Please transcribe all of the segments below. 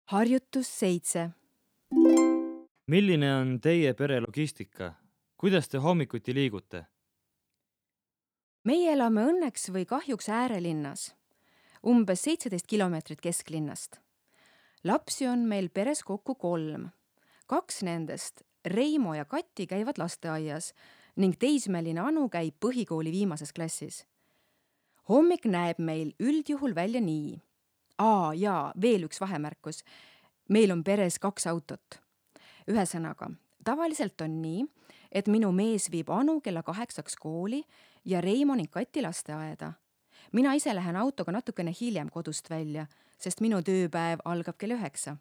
Harjutus 7. Milline on teie pere logistika? Kuidas te hommikuti liigute? Meie elame õnneks või kahjuks äärelinnas, umbes 17 kilomeetrit kesklinnast. Lapsi on meil peres kokku 3. 2 nendest, Reimo ja Kati, käivad lasteaias ning teismeline Anu käib põhikooli viimases klassis. Hommik näeb meil üldjuhul välja nii. Jaa, veel üks vahemärkus. Meil on peres 2 autot. Ühesõnaga, tavaliselt on nii, et minu mees viib Anu kella 8 kooli ja Reimo ning Kati lasteaeda. Mina ise lähen autoga natukene hiljem kodust välja, sest minu tööpäev algab kell 9.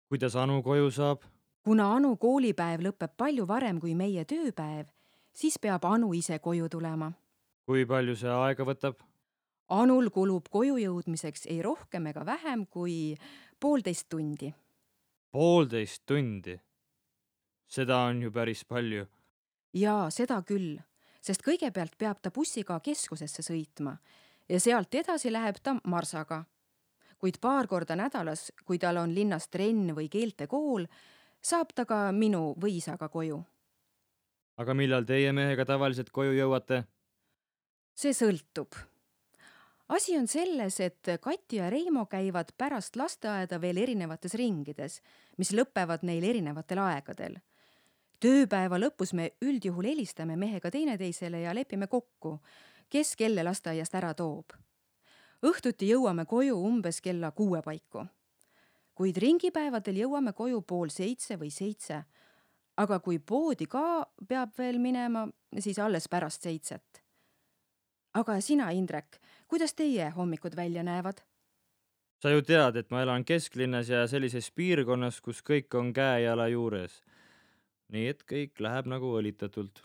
Kuidas Anu koju saab? Kuna Anu koolipäev lõpeb palju varem kui meie tööpäev, siis peab Anu ise koju tulema. Kui palju see aega võtab? Anul kulub koju jõudmiseks ei rohkem ega vähem kui 1,5 tundi. 1,5 tundi. Seda on ju päris palju. Jaa, seda küll, sest kõigepealt peab ta bussiga keskusesse sõitma ja sealt edasi läheb ta marsaga. Kuid 2 korda nädalas, kui tal on linnas trenn või keeltekool, saab ta ka minu või isaga koju. Aga millal teie mehega tavaliselt koju jõuate? See sõltub. Asi on selles, et Kati ja Reimo käivad pärast lasteaeda veel erinevates ringides, mis lõpevad neil erinevatel aegadel. Tööpäeva lõpus me üldjuhul helistame mehega teineteisele ja lepime kokku, kes kelle lasteaiast ära toob. Õhtuti jõuame koju umbes kella 6 paiku. Kuid ringipäevadel jõuame koju 6:30 või 7. Aga kui poodi ka peab veel minema, siis alles pärast 7. Aga sina, Indrek, kuidas teie hommikud välja näevad? Sa ju tead, et ma elan kesklinnas ja sellises piirkonnas, kus kõik on käe-jala juures. Nii et kõik läheb nagu õlitatult.